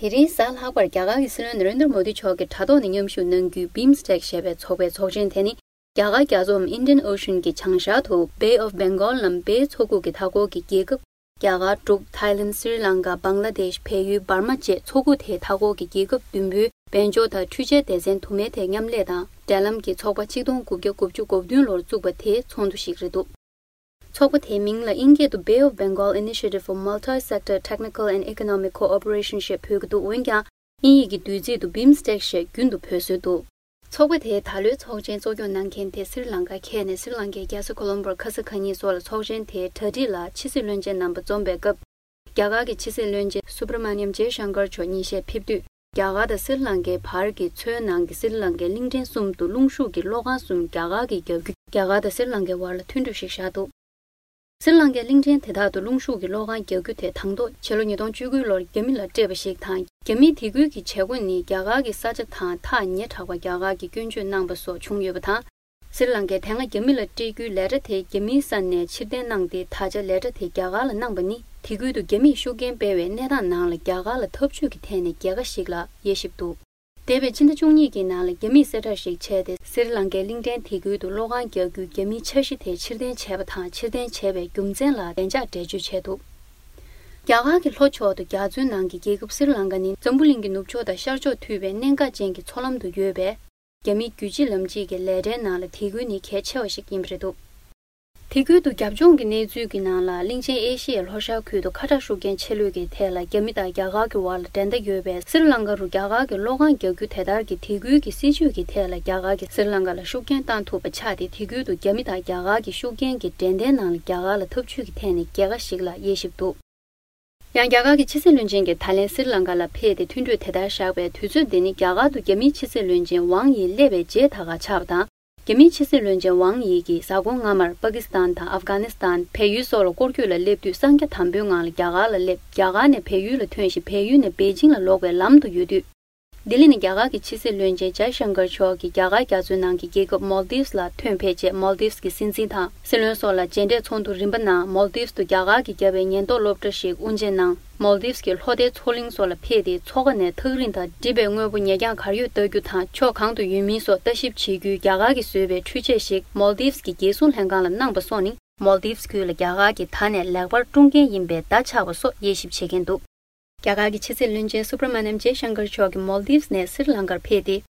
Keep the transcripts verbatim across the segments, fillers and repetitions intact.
དེ་རིང་གཟའ་ལྷག་པར་རྒྱ་གར་གྱི་སྲིད་བློན་ན་རེན་དྲ་མོ་དི་མཆོག་གིས་དྲ་ཐོག་ནས་མཉམ་ཞུགས་གནང་རྒྱུའི་བིམ་སི་ཊེག་ཞེས་པའི་ཚོགས་པའི་ཚོགས་ཆེན་དེ་ནི། རྒྱ་གར་རྒྱ་མཚོའམ་Indian Ocean གྱི་བྱང་ཤར་དུ་Bay of Bengal ནམ་བྷེའི་མཚོ་ཁུག་གི་མཐའ་འཁོར་གྱི་རྒྱལ་ཁབ། རྒྱ་གར། འབྲུག་ཐའི་ལན། སི་རི་ལང་ཀ། བང་ལ་དེཤ། བལ་ཡུལ། འབར་མ་བཅས་མཚོ་ཁུག་དེའི་མཐའ་འཁོར་གྱི་རྒྱལ་ཁབ་བདུན་པོའི་དཔལ་འབྱོར་དང་འཕྲུལ་ཆས་སྡེ་ཚན་དུ་མའི་ཐད་མཉམ་ལས་དང་འབྲེལ་ལམ་གྱི་ཚོགས་པ་ཆིག་སྟོང་དགུ་བརྒྱ་དགུ་བཅུ་གོ་བདུན་ལོར་བཙུགས་པ་དེའི་ཚོགས་འདུ་ཞིག་རེད་འདུག་ཚོགས་པ་དེའི་མིང་ལ་དབྱིན་སྐད་དུ་Bay of Bengal Initiative for Multi-Sector Technical and Economic Cooperation ཞེས་འབོད་ཀྱི་འདུག་འོན་ཀྱང་། དབྱིན་ཡིག་གི་བསྡུས་ཚིག་ཏུ་བིམ་སི་ཊེག་ཞེས་རྒྱུན་དུ་འབོད་སྲོལ་འདུག་ཚོགས་པ་དེའི་ད་ལོའི་ཚོགས་ཆེན་གཙོ་སྐྱོང་གནང་མཁན་དེ་སི་རི་ལང་ཀ་ཁྱེར་ནས་སི་རི་ལང་ཀའི་རྒྱལ་ས་ཀོ་ལོམ་བོར་ཁ་ས་ཁ་ཉིན་སོགས་ལ་ཚོགས་ཆེན་དེའི་གྲ་སྒྲིག་ལ་ཕྱི་སྲིད་བློན་ཆེན་རྣམ་པ་འཛོམས་པའི་སྐབས། རྒྱ་གར་གྱི་ཕྱི་སྲིད་བློན་ཆེན་སུབ་ར་མ་ནི་ཡམ་ཇེ་ཤང་ཀར་མཆོག་ཉིན་ཤས་ཕེབས་དུས། རྒྱ་གར་དང་སི་རི་ལང་ཀའི་བར་གྱི་མཚོའི་ནང་གི་སི་རི་ལང་ཀའི་གླིང་ཕྲན་གསུམ་དུ་རླུང་ཤུགས་ཀྱི་གློག་ཁང་གསུམ་རྒྱ་གར་གྱིས་བརྒྱབ་རྒྱུ། རྒྱ་གར་དང་སི་རི་ལང་ཀའི་བར་ལ་མཐུན་གྲོས་ཤིག་བཞག་འདུག་སི་རི་ལང་ཀའི་གླིང་ཕྲན་དེ་དག་ཏུ་རླུང་ཤུགས་ཀྱི་གློག་ཁང་རྒྱག་རྒྱུ་དེ་དང་ཐོག་ཕྱི་ལོ་ཉིས་སྟོང་བཅུ་དགུ་ལོར་རྒྱ་མི་ལ་སྤྲད་པ་ཞིག་དང་། རྒྱ་མིས་དེ་ཁུལ་གྱི་བྱེད་སྒོ་ནི་རྒྱ་གར་གྱི་ས་ཆ་དང་ཐག་ཉེ་དྲགས་པར་རྒྱ་གར་གྱིས་སྐྱོན་བརྗོད་གནང་པ་སོགས་བྱུང་ཡོད་པ་དང་། སི་རི་ལང་ཀས་དེ་སྔ་རྒྱ་མི་ལ་སྤྲད་རྒྱུའི་ལས་གྲྭ་དེ་རྒྱ་མིའི་ས་ནས་ཕྱིར་འཐེན་གནང་སྟེ། ད་ཆ་ལས་གྲྭ་དེ་རྒྱ་གར་ལ་གནང་པ་ནི། དེ་ཁུལ་དུ་རྒྱ་མིས་ཤུགས་རྐྱེན་སྤེལ་བའི་གནས་སྟངས་ནང་ལ་རྒྱ་གར་ལ་འཐབ་ཇུས་ཀྱི་ཐད་ནས་རྒྱལ་ཁ་ཞིག་ལ་དབྱེ་ཞིབ་འདུག་འདས་པའི་ཕྱི་ཟླ་བཅུ་གཉིས་ཀྱི་ནང་ལ་རྒྱ་མིས་གསལ་བསྒྲགས་ཤིག་བྱས་ཏེ། སི་རི་ལང་ཀའི་གླིང་ཕྲན་དེ་ཁུལ་དུ་གློག་ཁང་རྒྱག་རྒྱུའི་རྒྱ་མིའི་འཆར་གཞི་དེ་ཕྱིར་འཐེན་བྱས་པ་དང་། ཕྱིར་འཐེན་བྱས་པའི་རྒྱུ་མཚན་ལ་བདེ་འཇགས་འགྲེལ་བརྗོད་བྱས་འདུག་རྒྱ་གར་གྱི་ལྷོ་ཕྱོགས་དང་རྒྱ་མཚོའི་ནང་གི་རྒྱལ་ཁབ་སི་རི་ལང་ཀ་ནི་འཛམ་བུ་གླིང་གི་ནུབ་ཕྱོགས་དང་ཤར་ཕྱོགས་མཐུད་པའི་གནད་འགག་ཅན་གྱི་མཚོ་ལམ་དུ་ཡོད་པས། རྒྱ་མིའི་རྒྱུད་གཅིག་ལམ་གཅིག་གི་ལས་གྲྭའི་ནང་ལ་དེ་ཁུལ་ནི་གལ་ཆེ་བ་ཞིག་ཡིན་པ་རེད་འདུག་དེ་ཁུལ་དུ་རྒྱབ་ལྗོངས་ཀྱི་གནས་ཚུལ་གྱི་ནང་ལ། གླིང་ཆེན་ཨེ་ཤི་ཡའི་ལྷོ་ཤར་ཁུལ་དུ་ཁ་དྲག་ཤུགས་རྐྱེན་ཆེ་ལོས་ཀྱི་ཐད་ལ་རྒྱ་མི་དང་རྒྱ་གར་གྱི་བར་ལ་འགྲན་ཟླ་ཡོད་པའི་སི་རི་ལང་ཀ་རུ་རྒྱ་གར་གྱི་གློག་ཁང་རྒྱག་རྒྱུ་དེ་ལྟར་གྱི་དེ་ཁུལ་གྱི་སྲིད་ཇུས་ཀྱི་ཐད་ལ་རྒྱ་གར་གྱིས་སི་རི་ལང་ཀ་ལ་ཤུགས་རྐྱེན་བཏང་ཐུབ་པ་ཆགས་ཏེ། དེ་ཁུལ་དུ་རྒྱ་མི་དང་རྒྱ་གར་གྱི་ཤུགས་རྐྱེན་གྱི་འགྲན་ཟླའི་ནང་ལ་རྒྱ་གར་ལ་འཐབ་ཇུས་ཀྱི་ཐད་ནས་རྒྱལ་ཁ་ཞིག་ལ་དབྱེ་ཞིབ་འདུག་ཡང་རྒྱ་གར་གྱི་ཕྱི་སྲིད་བློན་ཆེན་གྱིས་ད་ལན་སི་རི་ལང་ཀ་ལ་ཕེབས་ཏེ། མཐུན་གྲོས་དེ་ལྟར་བཞག་པའི་དུས་ཚོད་འདི་ནི་རྒྱ་གར་དུ་རྒྱ་མིའི་ཕྱི་སྲིད་བློན་ཆེན་ཝང་ཡི་སླེབས་པའི་རྗེས་ད་ག་ཆགས་པ་དང་། རྒྱ་མིའི་ཕྱི་སྲིད་བློན་ཆེན་ཝང་ཡི་གིས་གཟའ་འཁོར་སྔ་མར་པ་ཀི་སི་ཐན་དང་ཨབ་གྷ་ནི་སི་ཐན། བལ་ཡུལ་སོགས་ལ་སྐོར་སྐྱོད་ལ་སླེབས་དུས། གསང་རྒྱ་དམ་པོའི་ངང་ལ་རྒྱ་གར་ལ་སླེབས། རྒྱ་གར་ནས་བལ་ཡུལ་ལ་ཐོན་ཞིང་། བལ་ཡུལ་ནས་པེ་ཅིང་ལ་ལོག་པའི་ལམ་དུ་ཡོད་དུས། ལྡི་ལི་ནས་རྒྱ་གར་གྱི་ཕྱི་སྲིད་བློན་ཆེན་ཇའི་ཤང་ཀར་མཆོག་གིས་རྒྱ་གར་རྒྱ་མཚོའི་ནང་གི་རྒྱལ་ཁབ་མོལ་དིབ་ལ་ཐོན་ཕེབས་རྗེས། མོལ་དིབ་ཀྱི་སྲིད་འཛིན་དང་སྲིད་བློན་སོགས་ལ་མཇལ་འཕྲད་ཚོགས་འདུ་རིམ་པ་གནང་། མོལ་དིབ་ཏུ་རྒྱ་གར་གྱིས་བརྒྱབ་པའི་ཉེན་རྟོག་སློབ་གྲྭ་ཞིག་དབུ་འབྱེད་གནང་། མོལ་དིབ་ཀྱི་ལྷོ་ལྡན་མཚོ་གླིང་སོགས་ལ་ཕེབས་ཏེ། མཚོ་ཁ་ནས་ཐག་རིང་དང་འགྲིབ་པའི་དངོས་པོ་ཉེ་འགྱངས་གར་ཡོད་ལྟ་རྒྱུ་དང་། ཕྱོགས་གང་དུ་ཡོད་མིན་སོགས་ལྟ་ཞིབ་བྱེད་རྒྱུའི་རྒྱ་གར་གྱིས་བཟོས་པའི་འཕྲུལ་ཆས་ཤིག་མོལ་དིབ་ཀྱི་རྒྱལ་སྲུང་ལྷན་ཁང་ལ་གནང་པ་སོགས་ནི། མོལ་དིབ་ཁུལ་ལ་རྒྱ་གར་གྱིས་ད་ནས་ལེགས་པར་སྲུང་མཁན་ཡིན་པའི་བརྡ་ཆགས་པ་སོགས་དབྱེ་ཞིབ་བྱེད་མཁན་འདུག་རྒྱ་གར་གྱི་ཕྱི་སྲིད་བློན་ཆེན་སུབ་ར་མ་ནམ་ཇེ་ཤང་ཀར་མཆོག་གིས་མོལ་དིབ་ནས་སི་རི་ལང་ཀར་ཕེབས་ཏེ།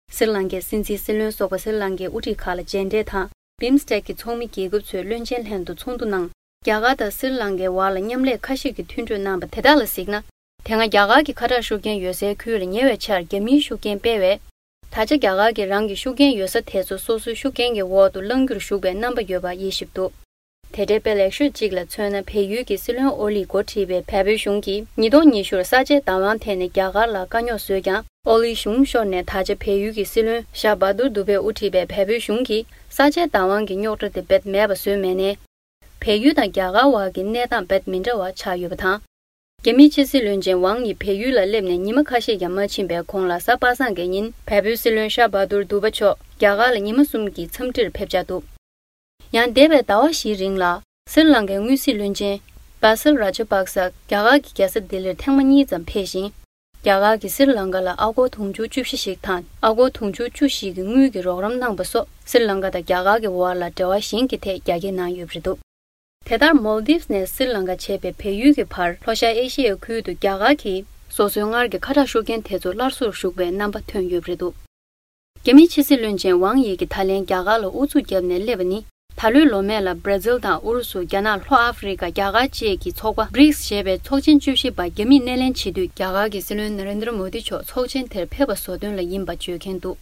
སི་རི་ལང་ཀའི་སྲིད་འཛིན། སྲིད་བློན་སོགས་པ། སི་རི་ལང་ཀའི་དབུ་ཁྲིད་ཁག་ལ་མཇལ་འཕྲད་དང་། བིམ་སི་ཊེག་གི་ཚོགས་མི་རྒྱལ་ཁབ་ཚོའི་བློན་ཆེན་ལྷན་དུ་ཚོགས་འདུ་གནང་། རྒྱ་གར་དང་སི་རི་ལང་ཀའི་བར་ལ་མཉམ་ལས་ཁ་ཤས་ཀྱི་མཐུན་གྲོས་གནང་པ་དེ་དག་ལ་གཟིགས་ན། དེ་སྔ་རྒྱ་གར་གྱི་ཁ་དྲག་ཤུགས་རྐྱེན་ཡོད་སའི་ཁུལ་ལ་ཉེ་བའི་ཆར་རྒྱ་མིའི་ཤུགས་རྐྱེན་སྤེལ་བས། ད་ཆ་རྒྱ་གར་གྱིས་རང་གི་ཤུགས་རྐྱེན་ཡོད་ས་དེ་ཚོ་སོ་སོའི་ཤུགས་རྐྱེན་གྱི་འོག་ཏུ་བླང་རྒྱུར་ཞུགས་པའི་རྣམ་པ་ཡོད་པ་དབྱེ་ཞིབ་འདུག་དེ་འདྲའི་དཔེ་ལེགས་ཤོས་གཅིག་ལ་མཚོན་ན། བལ་ཡུལ་གྱི་སྲིད་བློན་ཨོ་ལིས་འགོ་ཁྲིད་པའི་བལ་པོའི་གཞུང་གིས་ཉིས་སྟོང་ཉི་ཤུར་ས་ཆའི་བདག་དབང་ཐད་ནས་རྒྱ་གར་ལ་དཀའ་རྙོག་བཟོས་ཀྱང་། ཨོ་ལིའི་གཞུང་ཤོར་ནས་ད་ཆ་བལ་ཡུལ་གྱི་སྲིད་བློན་ཤཱ་བྷ་དུར་དུ་བྷེ་དབུ་ཁྲིད་པའི་བལ་པོའི་གཞུང་གིས་ས་ཆའི་བདག་དབང་གི་རྙོག་དྲ་དེ་རྦད་མེད་པ་བཟོས་མེད་ནས། བལ་ཡུལ་དང་རྒྱ་གར་བར་གྱི་གནས་སྟངས་རྦད་མི་འདྲ་བ་ཆགས་ཡོད་པ་དང་། རྒྱ་མིའི་ཕྱི་སྲིད་བློན་ཆེན་ཝང་ཡི་བལ་ཡུལ་ལ་སླེབས་ནས་ཉི་མ་ཁ་ཤས་ཀྱང་མ་ཕྱིན་པའི་གོང་ལ། གཟའ་པ་སངས་ཀྱི་ཉིན་བལ་པོའི་སྲིད་བློན་ཤཱ་བྷ་དུར་དུ་བྷ་མཆོག་རྒྱ་གར་ལ་ཉི་མ་གསུམ་གྱི་འཚམས་འདྲིར་ཕེབས་འཆར་འདུག་ཡང་འདས་པའི་ཟླ་བ་བཞིའི་རིང་ལ། སི་རི་ལང་ཀའི་དངུལ་རྩིས་བློན་ཆེན་བྷ་སིལ་ར་ཇ་པག་ས་རྒྱ་གར་གྱི་རྒྱལ་ས་ལྡི་ལིར་ཐེངས་མ་གཉིས་ཙམ་ཕེབས་ཤིང་། རྒྱ་གར་གྱིས་སི་རི་ལང་ཀ་ལ་ཨ་སྒོར་དུང་ཕྱུར་བཅུ་བཞི་ཞིག་དང་། ཨ་སྒོར་དུང་ཕྱུར་བཅུ་བཞི་གི་དངུལ་གྱི་རོགས་རམ་གནང་པ་སོགས། སི་རི་ལང་ཀ་དང་རྒྱ་གར་གྱི་བར་ལ་འབྲེལ་བ་གཞན་གྱི་ཐད་རྒྱ་སྐྱེད་གནང་ཡོད་པ་རེད་འདུག་དེ་ལྟར། མོལ་དིབ་ནས་སི་རི་ལང་ཀ་བྱས་པའི་བལ་ཡུལ་གྱི་བར། ལྷོ་ཤར་ཨེ་ཤི་ཡའི་ཁུལ་དུ་རྒྱ་གར་གྱིས་སོ་སོའི་སྔར་གྱི་ཁ་དྲག་ཤུགས་རྐྱེན་དེ་ཚོ་སླར་གསོར་ཞུགས་པའི་རྣམ་པ་ཐོན་ཡོད་པ་རེད་འདུག་རྒྱ་མིའི་ཕྱི་སྲིད་བློན་ཆེན་ཝང་ཡི་གིས་ད་ལན་རྒྱ་གར་ལ་ཨུ་ཚུགས་བརྒྱབ་ནས་སླེབས་པ་ནི། ད་ལོའི་ལོ་སྨད་ལ་བྷར་ཛིལ་དང་ཨུ་རུ་སུ། རྒྱ་ནག་ལྷོ་ཨ་ཧྥེ་རི་ཀ། རྒྱ་གར་བཅས་ཀྱི་ཚོགས་པ་བྷྲིགས་ཞེས་པའི་ཚོགས་ཆེན་བཅུ་བཞི་པ་རྒྱ་མིས་སྣེ་ལེན་བྱེད་དུས། རྒྱ་གར་གྱི་སྲིད་བློན་ན་རེན་དྲ་མོ་དི་མཆོག་ཚོགས་ཆེན་དེར་ཕེབས་པ་བཟོ་དོན་ལ་ཡིན་པ་བརྗོད་མཁན་འདུག